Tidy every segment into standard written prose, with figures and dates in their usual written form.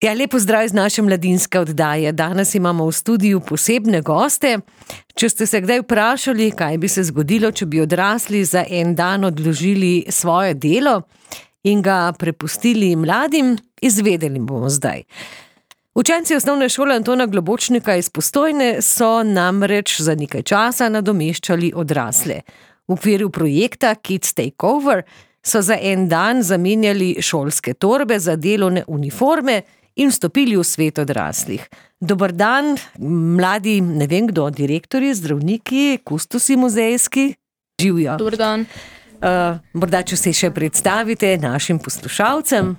Ja, lepo zdrav iz naše mladinske oddaje. Danes imamo v studiu posebne goste. Če ste se kdaj vprašali, kaj bi se zgodilo, če bi odrasli za en dan odložili svoje delo in ga prepustili mladim, izvedeli bomo zdaj. Učenci osnovne šole Antona Globočnika iz Postojne so namreč za nekaj časa nadomeščali odrasle. V okviru projekta Kids Take Over so za en dan zamenjali šolske torbe za delovne uniforme in vstopili v svet odraslih. Dober dan, mladi, ne vem kdo, direktorji, zdravniki, kustosi muzejski, živijo. Dober dan. Morda, če se še predstavite našim poslušalcem.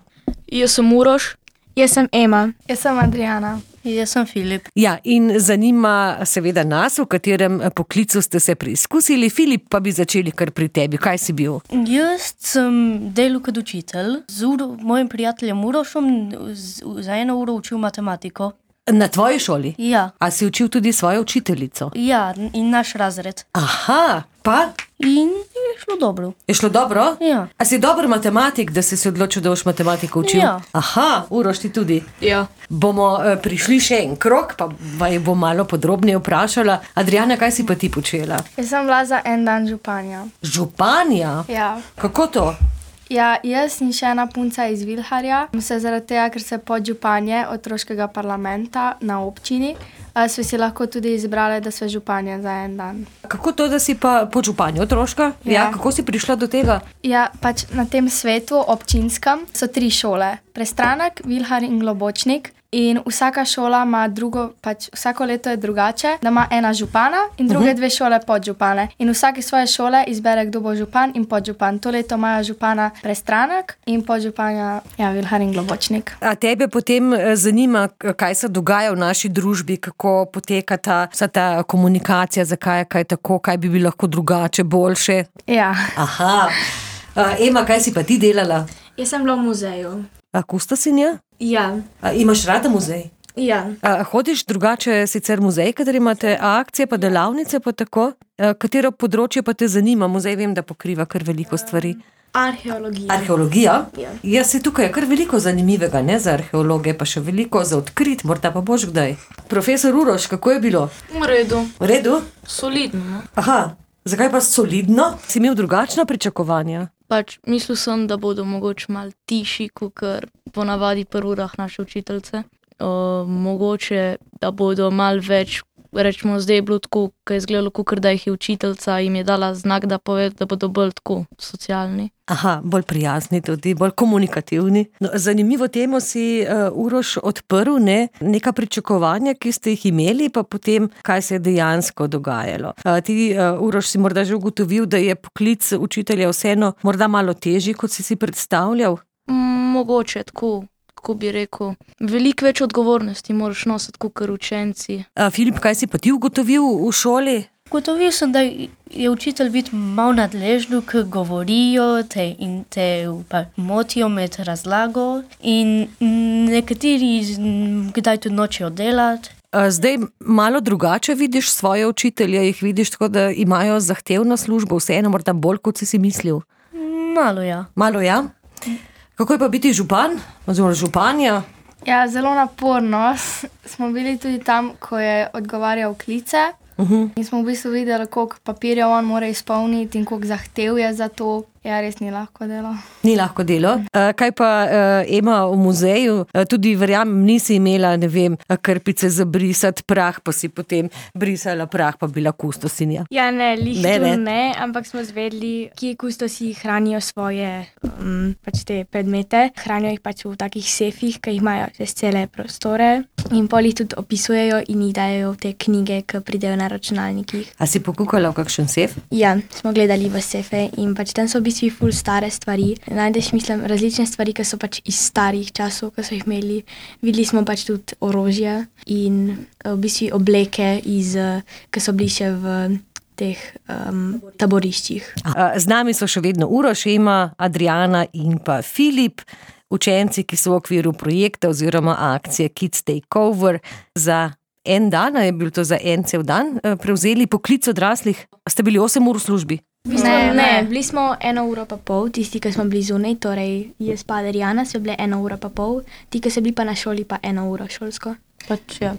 Jaz sem Uroš. Jaz sem Ema. Jaz sem Adriana. Jaz sem Filip. Ja, in zanima seveda nas, v katerem poklicu ste se preizkusili. Filip, pa bi začeli kar pri tebi. Kaj si bil? Jaz sem delal kot učitelj. Z mojim prijateljem Urošom za 1 uro učil matematiko. Na tvoji šoli? Ja. A si učil tudi svojo učiteljico? Ja, in naš razred. Aha, pa? In je šlo dobro. Je šlo dobro? Ja. A si dober matematik, da si se odločil, da boš matematiko učil? Ja. Aha, Uroš, ti tudi? Ja. Bomo prišli še en krog, pa vaju bom malo podrobneje vprašala. Adriana, kaj si pa ti počela? Jaz sem bila za en dan županja. Županja? Ja. Kako to? Ja, jaz in še ena punca iz Vilharja, zaradi tega, ker se podžupanje otroškega parlamenta na občini, smo si lahko tudi izbrali, da smo županje za en dan. Kako to, da si pa podžupanja otroška? Ja. Kako si prišla do tega? Ja, pač na tem svetu občinskem so 3 šole. Prestranek, Vilhar in Globočnik. In vsaka šola ima drugo, pač vsako leto je drugače, da ima ena župana in druge 2 šole podžupane. In vsake svoje šole izbere, kdo bo župan in podžupan. To leto imajo župana Prestranek in podžupanja Vilhar in Globočnik. A tebe potem zanima, kaj se dogaja v naši družbi, kako poteka vsa ta komunikacija, zakaj je kaj tako, kaj bi bilo lahko drugače, boljše? Ja. Aha. Ema, kaj si pa ti delala? Jaz sem bila v muzeju. A kustosinja? Ja. Imaš rada muzej? Ja. Hodiš drugače sicer muzej, kateri imate akcije pa delavnice pa tako? Katero področje pa te zanima? Muzej vem, da pokriva kar veliko stvari. Arheologija. Arheologija? Ja. Ja, se tukaj je kar veliko zanimivega, ne, za arheologe, pa še veliko za odkrit, morda pa boš kdaj. Profesor Uroš, kako je bilo? V redu. V redu? Solidno. Aha, zakaj pa solidno? Si imel drugačna pričakovanja? Pač mislil sem, da bodo mogoče malo tiši, kakor ponavadi pri urah naše učiteljice. Mogoče, da bodo malo več, rečemo, zdaj je bilo tako, ko je izgledalo, kakor da jih je učiteljica, jim je dala znak, da pove, da bodo bolj tako socialni. Aha, bolj prijazni tudi, bolj komunikativni. No, zanimivo temo si, Uroš, odprl, ne? Neka pričakovanja, ki ste jih imeli, pa potem, kaj se je dejansko dogajalo. Ti, Uroš, si morda že ugotovil, da je poklic učitelja vseeno morda malo težji, kot si predstavljal? Mogoče tako. Kako bi rekel, veliko več odgovornosti moraš nositi kakor učenci. Filip, kaj si pa ti ugotovil v šoli? Ugotovil sem, da je učitelj biti malo nadležno, ker govorijo in te pa motijo med razlago in nekateri kdaj tudi nočejo delati. Zdaj malo drugače vidiš svoje učitelje, jih vidiš tako, da imajo zahtevno službo, vseeno morda bolj, kot si mislil? Malo ja. Malo ja? Kako je pa biti župan, oziroma županja? Ja, zelo naporno. Smo bili tudi tam, ko je odgovarjal klice. In smo v bistvu videli, koliko papirja on mora izpolniti in koliko zahtev je za to. Ja, res ni lahko delo. Ni lahko delo. Kaj pa Ema v muzeju? Tudi verjamem, nisi imela, ne vem, krpice za brisati prah, pa si potem brisala prah, pa bila kustosinja. Ja, ne, ne, ampak smo zvedeli, kje kustosi hranijo svoje pač te predmete. Hranijo jih pač v takih sefih, ki jih imajo čez cele prostore in pol jih tudi opisujejo in jih dajo v te knjige, ki pridejo na računalnikih. A si pokukala v kakšen sef? Ja, smo gledali v sefe in pač tam so v bistvu ful stare stvari. Najdeš, mislim, različne stvari, ki so pač iz starih časov, ki so jih imeli. Videli smo pač tudi orožje in v bistvu obleke, ki so bili še v teh taboriščih. Z nami so še vedno Uroš, Ema, Adriana in pa Filip, učenci, ki so v okviru projekta oziroma akcije Kids Take Over za en dan, je bil to za en cel dan, prevzeli poklic odraslih. Ste bili 8 ur v službi? Ne, bili smo 1,5 ure, tisti, ki smo bili zunaj, torej jaz pa Adriana, so bile 1,5 ure, ti, ki so bili pa na šoli, pa 1 uro šolsko. Ja.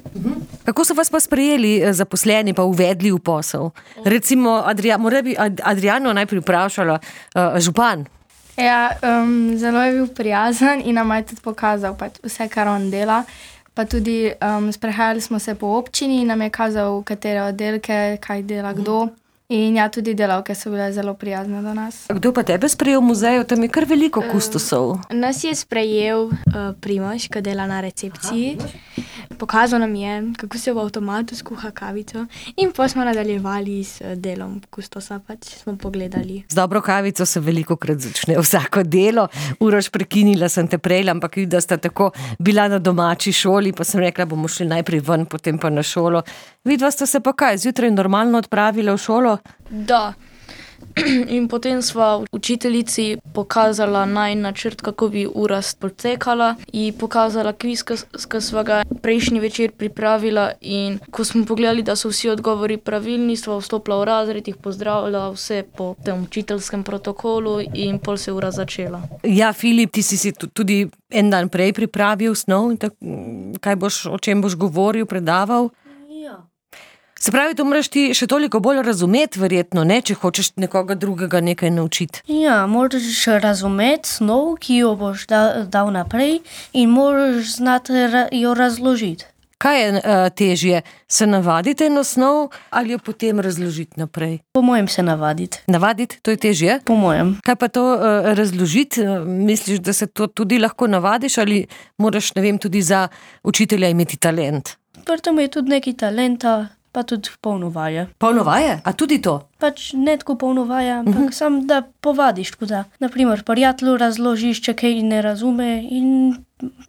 Kako so vas pa sprejeli zaposleni, pa uvedli v posel? Recimo, mora bi Adriano najprej vprašala, župan. Ja, zelo je bil prijazen in nam je tudi pokazal pač vse, kar on dela. Pa tudi sprehajali smo se po občini in nam je kazal, katere oddelke, kaj dela kdo. In ja, tudi delavke so bile zelo prijazne do nas. Kdo pa tebe sprejel v muzeju? Tam je kar veliko kustosov. Nas je sprejel Primož, ki dela na recepciji. Pokazal nam je, kako se v avtomatu skuha kavico in pa smo nadaljevali s delom kustosa, pač smo pogledali. Z dobro kavico se velikokrat začne vsako delo. Uroš, prekinila sem te prej, ampak da sta tako bila na domači šoli, pa sem rekla, bomo šli najprej ven, potem pa na šolo. Vidva sta se pa kaj, zjutraj normalno odpravila v šolo? Da. In potem sva učiteljici pokazala načrt, kako bi ura potekala in pokazala kviz, ki sva ga prejšnji večer pripravila in ko smo pogledali, da so vsi odgovori pravilni, sva vstopila v razred, jih pozdravila vse po tem učiteljskem protokolu in pol se ura začela. Ja, Filip, ti si tudi en dan prej pripravil snov, o čem boš govoril, predaval? Ja. Se pravi, to moraš ti še toliko bolj razumeti, verjetno, ne, če hočeš nekoga drugega nekaj naučiti. Ja, moraš razumeti snov, ki jo boš dal naprej in moraš znati jo razložiti. Kaj je težje, se navaditi na snov ali jo potem razložiti naprej? Po mojem se navaditi. Navaditi, to je težje? Po mojem. Kaj pa to razložiti? Misliš, da se to tudi lahko navadiš ali moraš, ne vem, tudi za učitelja imeti talent? Pri tem je tudi nekaj talenta, pa tudi polno vaje. Polno vaje? A tudi to? Pač ne tako polno vaje, ampak sam da povadiš, tako da. Naprimer, prijatelju razložiš, če kaj ne razume in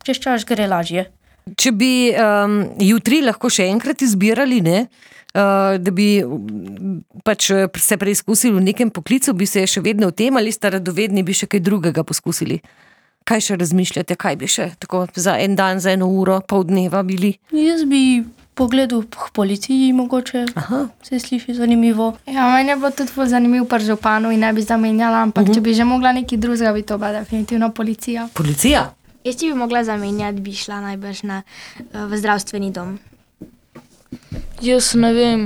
čez čas gre lažje. Če bi jutri lahko še enkrat izbirali, ne? Da bi pač se preizkusili v nekem poklicu, bi se še vedno v tem ali sta radovedni, bi še kaj drugega poskusili? Kaj še razmišljate, kaj bi še tako za en dan, za 1 uro, pol dneva bili? Jaz bi pogledal k policiji mogoče. Aha. Se sliši zanimivo. Ja, meni je bilo tudi ful zanimivo pri županu in ne bi zamenjala, ampak če bi že mogla nekaj drugega, bi to bila definitivno policija. Policija? Jaz ti bi mogla zamenjati, bi šla najbrž v zdravstveni dom. Jaz ne vem,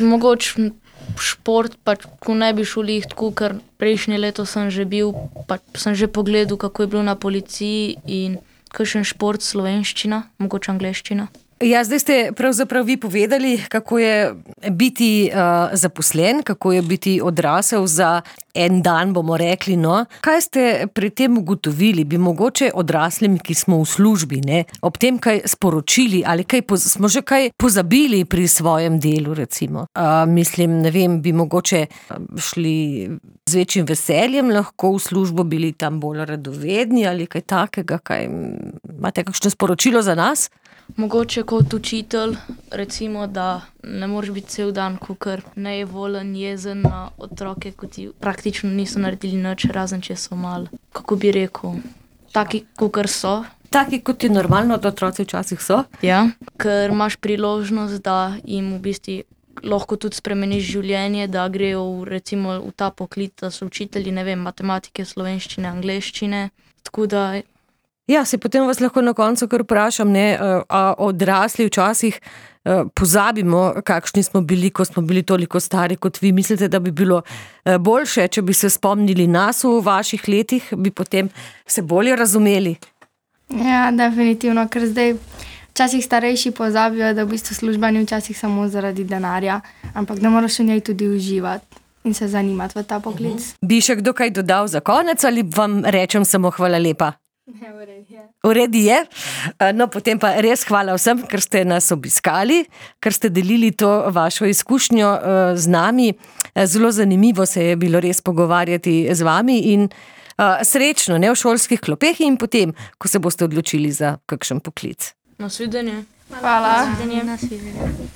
mogoče šport, pač ko ne bi šel tako, ker prejšnje leto sem že bil, pač sem že pogledal, kako je bilo na policiji in kakšen šport, slovenščina, mogoče angleščina. Ja, zdaj ste pravzaprav vi povedali, kako je biti zaposlen, kako je biti odrasel za en dan, bomo rekli, no. Kaj ste pri tem ugotovili? Bi mogoče odraslim, ki smo v službi, ne, ob tem kaj sporočili ali smo že kaj pozabili pri svojem delu, recimo? Mislim, ne vem, bi mogoče šli z večjim veseljem lahko v službo, bili tam bolj radovedni ali kaj takega, imate kakšno sporočilo za nas? Mogoče kot učitelj, recimo, da ne moreš biti cel dan kakor nejevoljen, jezen na otroke, ko ti praktično niso naredili nič, razen če so malo, kako bi rekel, taki kakor so. Taki, kot je normalno, da otroci včasih so? Ja, ker imaš priložnost, da jim v bistvu lahko tudi spremeniš življenje, da grejo recimo v ta poklic, da so učitelji, ne vem, matematike, slovenščine, angleščine, tako da. Ja, se potem vas lahko na koncu kar vprašam, ne, a odrasli včasih pozabimo, kakšni smo bili, ko smo bili toliko stari kot vi. Mislite, da bi bilo boljše, če bi se spomnili nas v vaših letih, bi potem se bolje razumeli? Ja, definitivno, ker zdaj včasih starejši pozabijo, da v bistvu služba ni včasih samo zaradi denarja, ampak da moraš v njej tudi uživati in se zanimati v ta poklic. Bi še kdo kaj dodal za konec ali vam rečem samo hvala lepa? Ja, v redu je. V redu je. No, potem pa res hvala vsem, ker ste nas obiskali, ker ste delili to vašo izkušnjo z nami. Zelo zanimivo se je bilo res pogovarjati z vami in srečno, ne, v šolskih klopeh in potem, ko se boste odločili za kakšen poklic. Nasvidenje. Hvala. Nasvidenje.